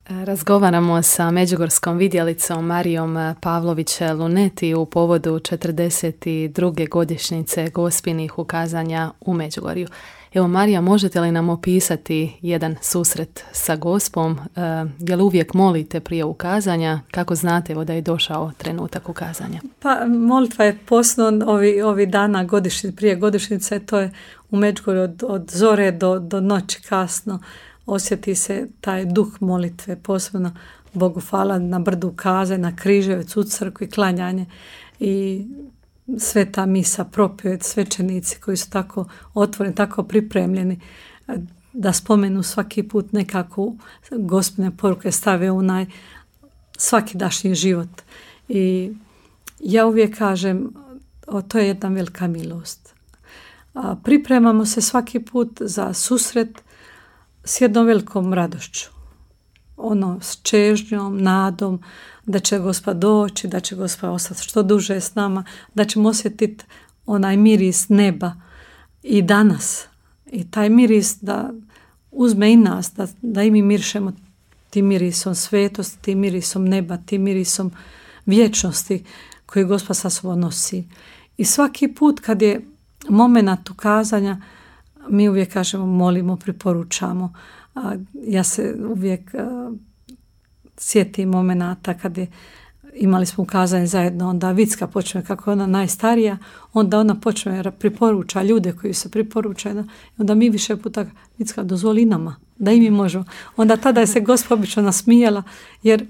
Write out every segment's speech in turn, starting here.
Razgovaramo sa međugorskom vidjelicom Marijom Pavlović-Luneti u povodu 42. godišnjice Gospinih ukazanja u Međugorju. Evo, Marija, možete li nam opisati jedan susret sa Gospom? Je li uvijek molite prije ukazanja? Kako znate da je došao trenutak ukazanja? Pa molitva je posebno ovi dana prije godišnjice, to je u Međugorju od zore do noći kasno. Osjeti se taj duh molitve, posebno Bogu hvala na brdu ukazanja, na Križevec, u crkvi, klanjanje i sveta misa, propjeved, svećenici koji su tako otvoreni, tako pripremljeni da spomenu svaki put nekako Gospine poruke, stave u svakidašnji život. I ja uvijek kažem, to je jedna velika milost. Pripremamo se svaki put za susret s jednom velikom radošću. S čežnjom, nadom da će Gospod doći, da će Gospod ostati što duže s nama, da ćemo osjetiti onaj miris neba i danas. I taj miris da uzme i nas, da i mi mirišemo tim mirisom svetosti, tim mirisom neba, tim mirisom vječnosti koji Gospod sa sobom nosi. I svaki put kad je moment ukazanja, mi uvijek kažemo, molimo, preporučamo. Ja se uvijek sjetim momenata kad imali smo ukazanje zajedno, onda Vicka počne, kako je ona najstarija, onda ona počne preporuča ljude koji se preporučaju, onda mi više puta, Vicka, dozvoli nama, da i mi možemo. Onda tada je se Gospod obično nasmijala, jer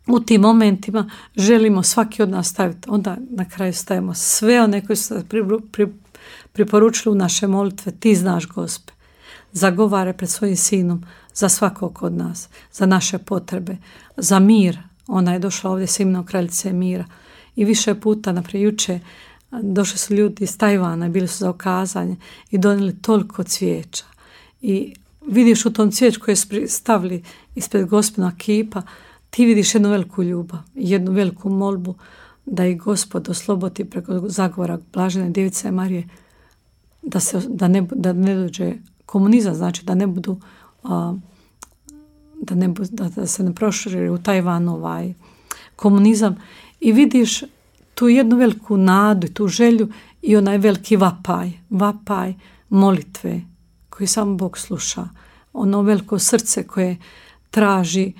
u tim momentima želimo svaki od nas staviti. Onda na kraju stavimo sve one koji su preporučili u naše molitve, ti znaš, Gospe, zagovara pred svojim sinom za svakog od nas, za naše potrebe, za mir. Ona je došla ovdje s imenom kraljice mira. I više puta, naprijed juče, došli su ljudi iz Tajvana i bili su za ukazanje i donijeli toliko cvijeća. I vidiš u tom cvijeću koje su stavili ispred Gospina kipa, ti vidiš jednu veliku ljubav, jednu veliku molbu da ih Gospod oslobodi preko zagovora Blažene Djevice Marije, da ne dođe komunizam, znači da ne budu da se ne proširi u Tajvanu komunizam. I vidiš tu jednu veliku nadu i tu želju i onaj veliki vapaj molitve koji samo Bog sluša. Ono veliko srce koje traži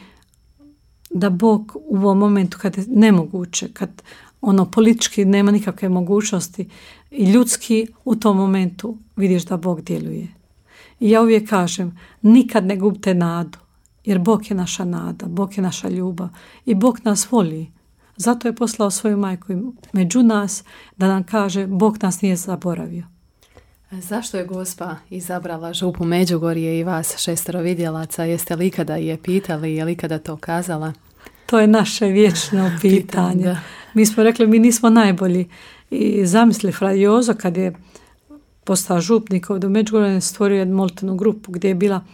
da Bog u ovom momentu kad je nemoguće, kad politički nema nikakve mogućnosti i ljudski, u tom momentu vidiš da Bog djeluje. I ja uvijek kažem, nikad ne gubite nadu, jer Bog je naša nada, Bog je naša ljubav i Bog nas voli. Zato je poslao svoju majku među nas da nam kaže, Bog nas nije zaboravio. Zašto je Gospa izabrala župu Međugorje i vas 6 vidjelaca? Jeste li ikada je pitali, je li ikada to kazala? To je naše vječno pitanje. Mi smo rekli, mi nismo najbolji. I zamisli Fra Jozo kad je postao župnik ovdje u Međugorju, stvorio jednu molitvenu grupu gdje je bila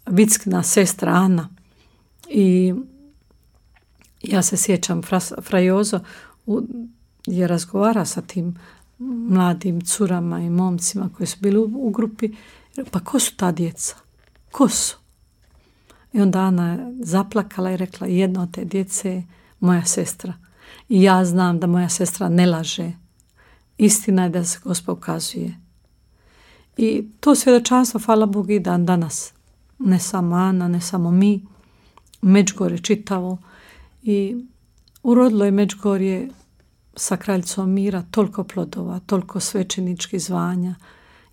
Vickina sestra Ana. I ja se sjećam, Fra Jozo je razgovara sa tim mladim curama i momcima koji su bili u grupi. Pa ko su ta djeca? Ko su? I onda Ana je zaplakala i rekla, jedna od te djece je moja sestra. I ja znam da moja sestra ne laže. Istina je da se Gospod ukazuje. I to svjedočanstvo, hvala Bogu, i dan danas. Ne samo Ana, ne samo mi. Međugorje čitavo. I urodilo je Međugorje sa kraljicom mira toliko plodova, toliko svećeničkih zvanja.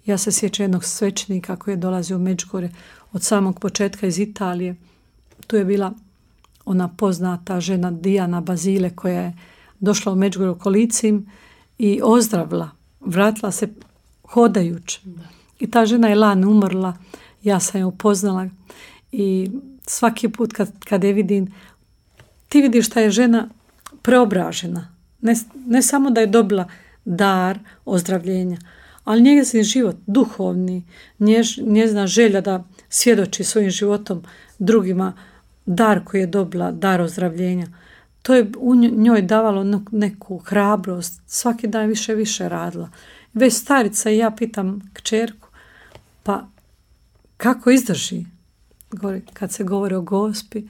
Ja se sjećam jednog svećenika koji je dolazio u Međugorje od samog početka iz Italije. Tu je bila ona poznata žena Dijana Bazile koja je došla u Međugorje u kolicim i ozdravila. Vratila se hodajući. I ta žena je lani umrla. Ja sam je upoznala i svaki put kad je vidim, ti vidiš da je žena preobražena. Ne samo da je dobila dar ozdravljenja, ali njezin život duhovni, njezina želja da svjedoči svojim životom drugima, dar koji je dobila, dar ozdravljenja, to je u njoj davalo neku hrabrost, svaki dan više radila. Već starica, i ja pitam kćerku, pa kako izdrži? kad se govori o Gospi,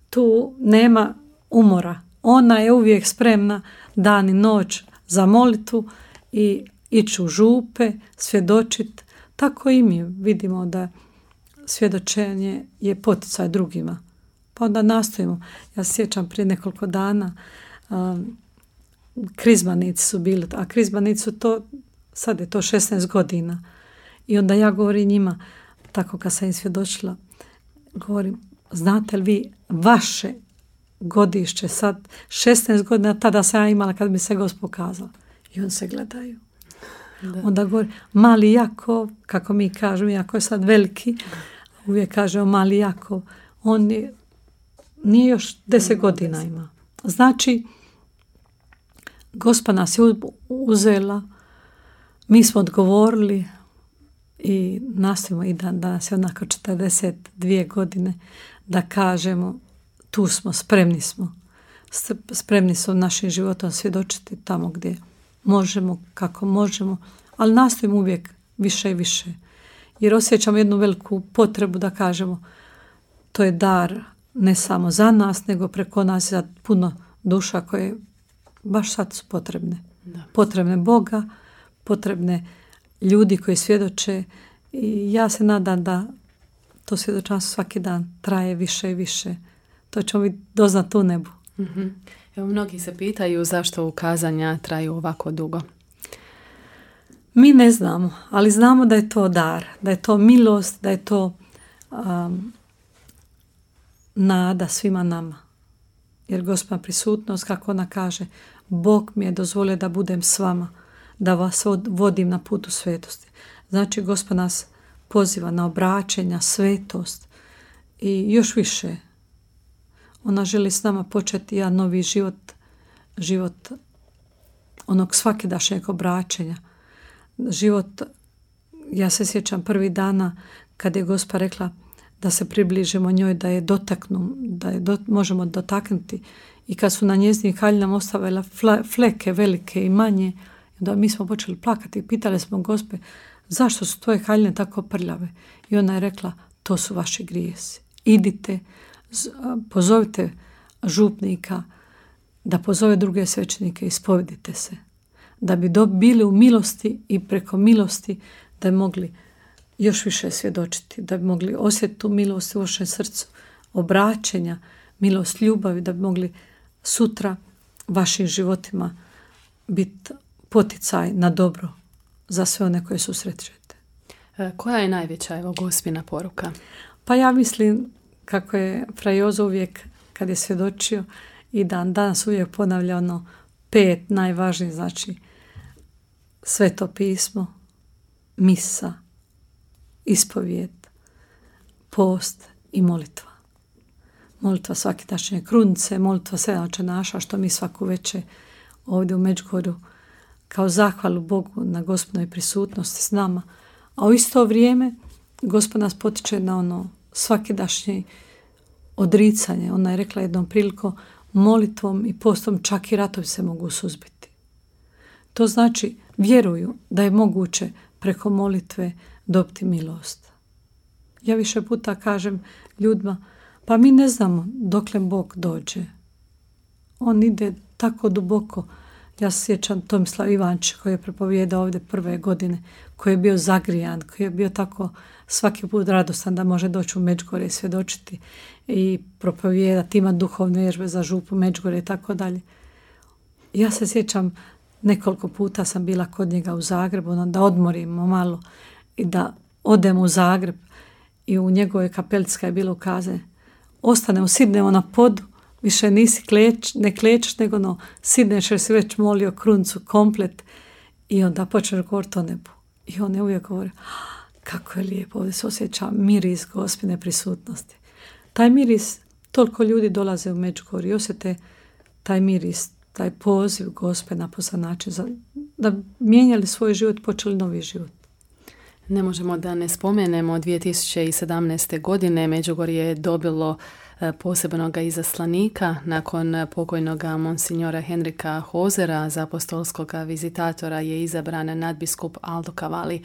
tu nema umora. Ona je uvijek spremna dan i noć za molitvu i ići u župe, svjedočiti. Tako i mi vidimo da svjedočenje je poticaj drugima. Pa onda nastojimo. Ja se sjećam prije nekoliko dana krizmanici su bili, a krizmanici su to, sad je to 16 godina. I onda ja govorim njima, tako kad sam im svjedočila, govorim, znate li vi vaše godišće sad, 16 godina tada sam ja imala kad mi se Gospod pokazala. I on se gledaju. Da. Onda govori, mali Jakov, kako mi kažemo, jako je sad veliki, uvijek kažemo mali Jakov, on nije još 10 godina ima. Znači, Gospa nas je uzela, mi smo odgovorili i nastavimo i danas je onako 42 godine da kažemo tu smo, spremni smo našim životom svjedočiti tamo gdje možemo, kako možemo, ali nastojimo uvijek više i više. Jer osjećamo jednu veliku potrebu da kažemo to je dar ne samo za nas, nego preko nas za puno duša koje baš sad su potrebne. Da. Potrebne Boga, potrebne ljudi koji svjedoče i ja se nadam da to svjedočanstvo svaki dan traje više i više. To ćemo mi doznati u nebu. Mm-hmm. Evo, mnogi se pitaju zašto ukazanja traju ovako dugo. Mi ne znamo, ali znamo da je to dar, da je to milost, da je to nada svima nama. Jer Gospodina prisutnost, kako ona kaže, Bog mi je dozvolio da budem s vama, da vas vodim na putu svetosti. Znači, Gospod nas poziva na obraćenja, svetost i još više. Ona želi s nama početi jedan novi život onog svakidašnjeg obraćenja. Život, ja se sjećam prvih dana kad je Gospa rekla da se približimo njoj, da je dotaknu, da je možemo dotaknuti. I kad su na njezinim haljinama ostavile fleke velike i manje, da mi smo počeli plakati i pitali smo Gospe zašto su tvoje haljine tako prljave. I ona je rekla to su vaši grijesi. Idite, pozovite župnika da pozove druge svećenike i ispovedite se. Da bi bili u milosti i preko milosti da bi mogli još više svjedočiti, da bi mogli osjetiti tu milost u vašem srcu, obraćenja, milost ljubavi, da bi mogli sutra vašim životima biti poticaj na dobro za sve one koje susrećete. Koja je najveća Gospina poruka? Pa ja mislim kako je Fra Jozo uvijek kad je svjedočio i danas uvijek ponavlja 5 najvažnijih, znači Sveto pismo, misa, ispovijed, post i molitva. Molitva svakidašnje krunice, molitva 7 očenaša, što mi svaku večer ovdje u Međugorju kao zahvalu Bogu na Gospodinoj prisutnosti s nama. A u isto vrijeme Gospod nas potiče na svakidašnje odricanje. Ona je rekla jednom prilikom, molitvom i postom čak i ratovi se mogu suzbiti. To znači vjeruju da je moguće preko molitve dobiti milost. Ja više puta kažem ljudima, pa mi ne znamo dokle Bog dođe. On ide tako duboko. Ja se sjećam Tomislav Ivančić koji je propovijedao ovdje prve godine, koji je bio zagrijan, koji je bio tako svaki put radostan da može doći u Međugorje i svjedočiti i propovijedati, ima duhovne vježbe za župu Međugorje i tako dalje. Ja se sjećam nekoliko puta sam bila kod njega u Zagrebu, da odmorimo malo i da odemo u Zagreb i u njegovoj kapelici je bilo ukazane. Ostanemo, sidnemo na podu, više nisi ne klečeš, nego sidneš jer si već molio kruncu komplet i onda počneš govoriti o nebu. I on je uvijek govori, kako je lijepo, ovdje se osjeća miris Gospine prisutnosti. Taj miris, toliko ljudi dolaze u Međugorje i osjete taj miris, taj poziv Gospe na posan način da mijenjali svoj život, počeli novi život. Ne možemo da ne spomenemo 2017. godine Međugorje je dobilo posebnog izaslanika nakon pokojnog monsignora Henrika Hozera, za apostolskog vizitatora je izabran nadbiskup Aldo Cavalli.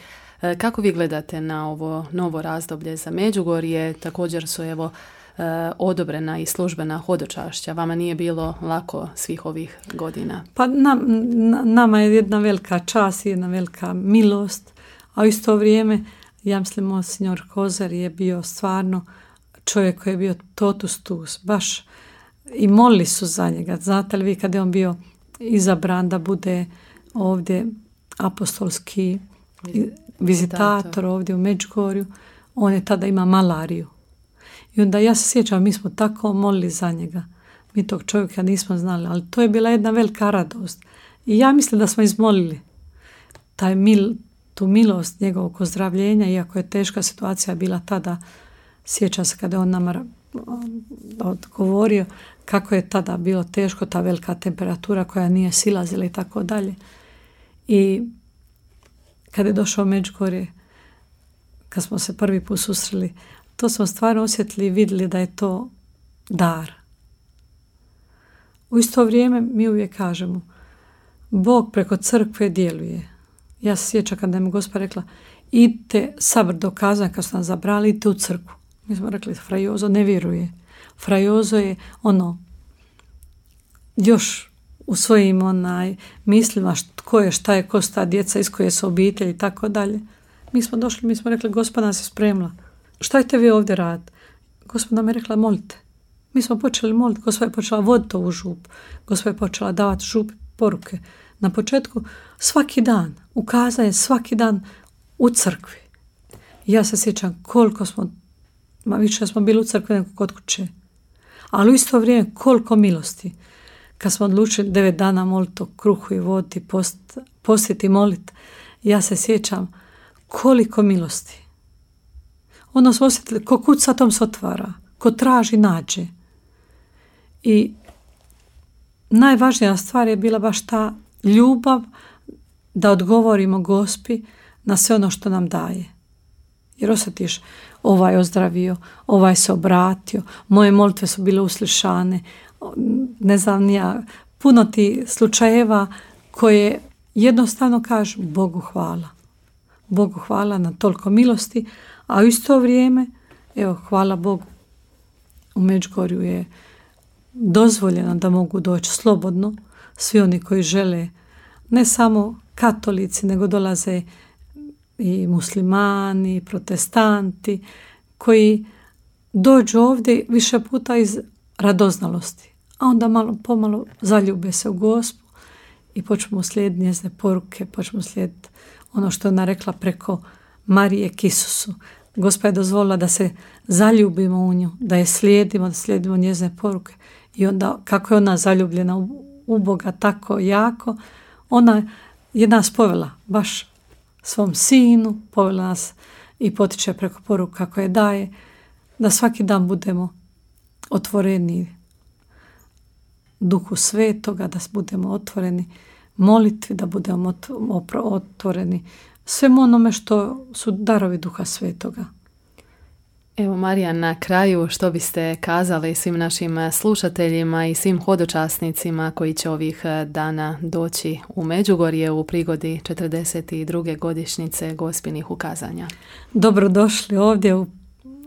Kako vi gledate na ovo novo razdoblje za Međugorje? Također su odobrena i službena hodočašća. Vama nije bilo lako svih ovih godina? Pa nama je jedna velika čast i jedna velika milost, a u isto vrijeme, ja mislim, monsignor Hozer je bio stvarno čovjek koji je bio totus tuus, baš i molili su za njega. Znate li vi kad je on bio izabran da bude ovdje apostolski vizitator ovdje u Međugorju, on je tada ima malariju. I onda ja se sjećam, mi smo tako molili za njega. Mi tog čovjeka nismo znali, ali to je bila jedna velika radost. I ja mislim da smo izmolili tu milost njegovog ozdravljenja, iako je teška situacija bila tada. Sjećam se kada on nama odgovorio kako je tada bilo teško, ta velika temperatura koja nije silazila i tako dalje. I kada je došao u Međugorje, kad smo se prvi put susreli, to smo stvarno osjetili i vidjeli da je to dar. U isto vrijeme mi uvijek kažemo, Bog preko crkve djeluje. Ja se sjećam kada mi Gospa rekla, idite sabr do kazanja, kad su nas zabrali, idite u crkvu. Mi smo rekli, Fra Jozo ne vjeruje. Fra Jozo je još u svojim mislima tko je, šta je, ko su ta djeca, iz koje su obitelji i tako dalje. Mi smo došli, mi smo rekli, Gospa nas je spremila. Šta ćete vi ovdje raditi? Gospa nam je rekla, molite. Mi smo počeli moliti, Gospa je počela voditi ovu župu. Gospa je počela davati župi poruke. Na početku svaki dan, ukazanje svaki dan u crkvi. Ja se sjećam koliko više smo bili u crkvi nego kod kuće. Ali u isto vrijeme koliko milosti. Kad smo odlučili 9 dana moliti o kruhu i vodi, postiti i moliti, ja se sjećam koliko milosti. Ono smo osjetili, ko kuca tom se otvara, ko traži nađe. I najvažnija stvar je bila baš ta ljubav da odgovorimo Gospi na sve ono što nam daje. Jer osjetiš, ovaj ozdravio, ovaj se obratio, moje molitve su bile uslišane, ne znam ja, puno ti slučajeva koje jednostavno kažu Bogu hvala. Bogu hvala na toliko milosti, a u isto vrijeme, evo, hvala Bogu, u Međugorju je dozvoljeno da mogu doći slobodno svi oni koji žele, ne samo katolici, nego dolaze i muslimani, i protestanti, koji dođu ovdje više puta iz radoznalosti, a onda malo pomalo zaljube se u Gospu i počnemo slijediti njezine poruke, počnemo slijediti ono što je ona rekla preko Marije k Isusu. Gospa je dozvolila da se zaljubimo u nju, da je slijedimo, da slijedimo njezine poruke. I onda kako je ona zaljubljena u Boga tako jako, ona je nas povela baš svom sinu, povela nas i potiče preko poruka koje daje, da svaki dan budemo otvoreni Duhu Svetoga, da budemo otvoreni molitvi, da budemo otvoreni svemu onome što su darovi Duha Svetoga. Evo, Marija, na kraju što biste kazali svim našim slušateljima i svim hodočasnicima koji će ovih dana doći u Međugorje u prigodi 42. godišnjice Gospinih ukazanja? Dobrodošli ovdje,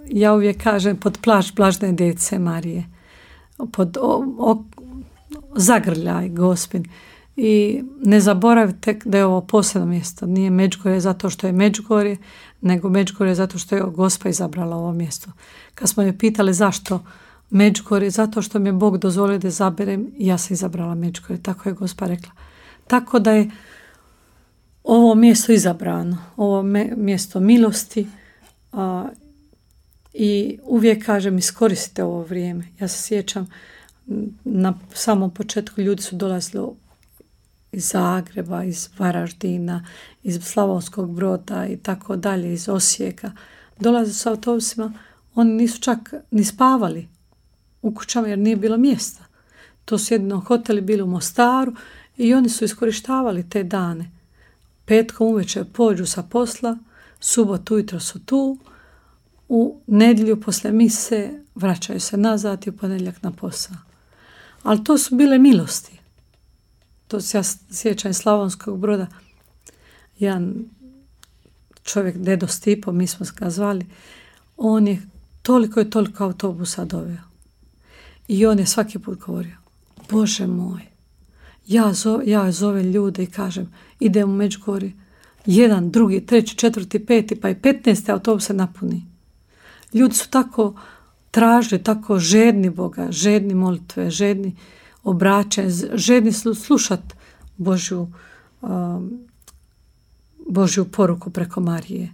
ja uvijek kažem, pod plašt Blažene Djevice Marije, pod zagrljaj Gospin. I ne zaboravite da je ovo posebno mjesto. Nije Međugorje zato što je Međugorje, nego Međugorje zato što je Gospa izabrala ovo mjesto. Kad smo je pitali zašto Međugorje, zato što mi je Bog dozvolio da izaberem i ja sam izabrala Međugorje. Tako je Gospa rekla. Tako da je ovo mjesto izabrano, ovo mjesto milosti, i uvijek kažem, iskoristite ovo vrijeme. Ja se sjećam, na samom početku ljudi su dolazili iz Zagreba, iz Varaždina, iz Slavonskog Broda i tako dalje, iz Osijeka. Dolaze s autobusima, oni nisu čak ni spavali u kućama jer nije bilo mjesta. To su jedino hoteli bili u Mostaru i oni su iskorištavali te dane. Petkom uvečer pođu sa posla, subotu ujutro su tu, u nedjelju poslije mise vraćaju se nazad i u ponedjeljak na posao. Ali to su bile milosti. To se ja sjećam iz Slavonskog Broda. Jedan čovjek, Dedo Stipo, mi smo ga zvali, on je toliko i toliko autobusa doveo. I on je svaki put govorio, Bože moj, ja zovem ljude i kažem, idem u Međugorje, 1, 2, 3, 4, 5, pa i 15 autobusa napuni. Ljudi su tako tražili, tako žedni Boga, žedni molitve, žedni obraćanja, žedni slušati Božju poruku preko Marije.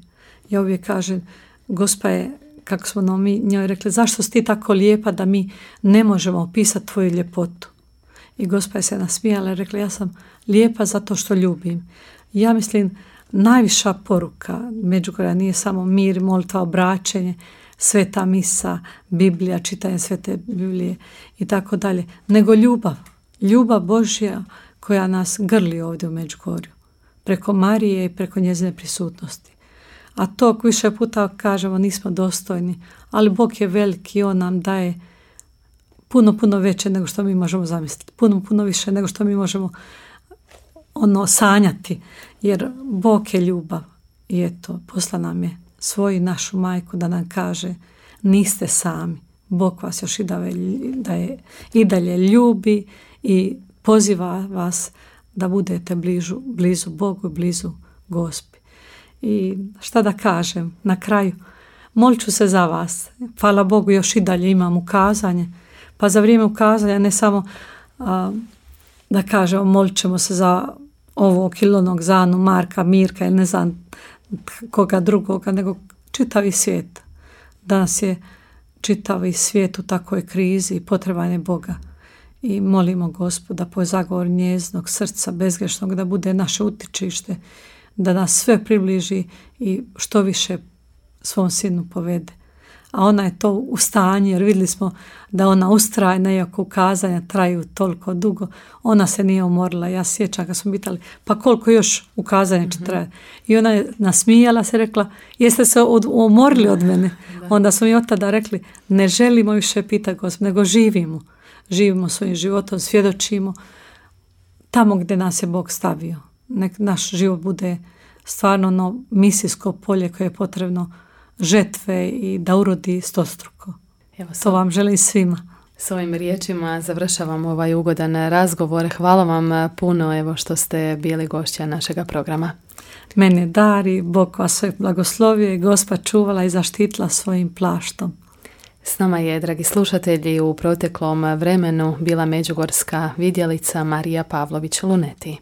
Ja uvijek kažem, Gospa je, kako smo mi njoj rekli, zašto si ti tako lijepa da mi ne možemo opisati tvoju ljepotu? I Gospa je se nasmijala i rekla, ja sam lijepa zato što ljubim. Ja mislim, najviša poruka Međugorja nije samo mir, molitva, obraćenje, sveta misa, Biblija, čitanje svete Biblije i tako dalje, nego ljubav. Ljubav Božja koja nas grli ovdje u Međugorju. Preko Marije i preko njezine prisutnosti. A to više puta kažemo nismo dostojni, ali Bog je veliki i On nam daje puno veće nego što mi možemo zamisliti. Puno više nego što mi možemo sanjati. Jer Bog je ljubav i eto, posla nam je svoju našu majku da nam kaže niste sami. Bog vas još i dalje ljubi i poziva vas da budete blizu Bogu i blizu Gospi. I šta da kažem, na kraju, molit ću se za vas. Hvala Bogu, još i dalje imam ukazanje. Pa za vrijeme ukazanja ne samo da kažemo molit ćemo se za ovog ili onog, za Anu, Marka, Mirka ili ne znam koga drugoga, nego čitavi svijet. Danas je čitavi svijet u takvoj krizi i potreban je Boga. I molimo Gospoda po zagovor njeznog srca bezgrešnog da bude naše utičište, da nas sve približi i što više svom sinu povede. A ona je to u stanju, jer vidjeli smo da ona ustrajna, iako ukazanja traju toliko dugo, ona se nije umorila. Ja sjećam kad smo pitali, pa koliko još ukazanja će trajati? I ona je nasmijala se, rekla, jeste se umorili od mene? Onda smo i od tada rekli, ne želimo više pitati Gospod, nego živimo. Živimo svojim životom, svjedočimo tamo gdje nas je Bog stavio. Nek naš život bude stvarno ono misijsko polje koje je potrebno žetve i da urodi stostruko. Evo, to vam želim svima. S ovim riječima završavam ovaj ugodan razgovor. Hvala vam puno što ste bili gošća našega programa. Mene dari, Bog vas sve blagoslovio i Gospa čuvala i zaštitila svojim plaštom. S nama je, dragi slušatelji, u proteklom vremenu bila međugorska vidjelica Marija Pavlović Luneti.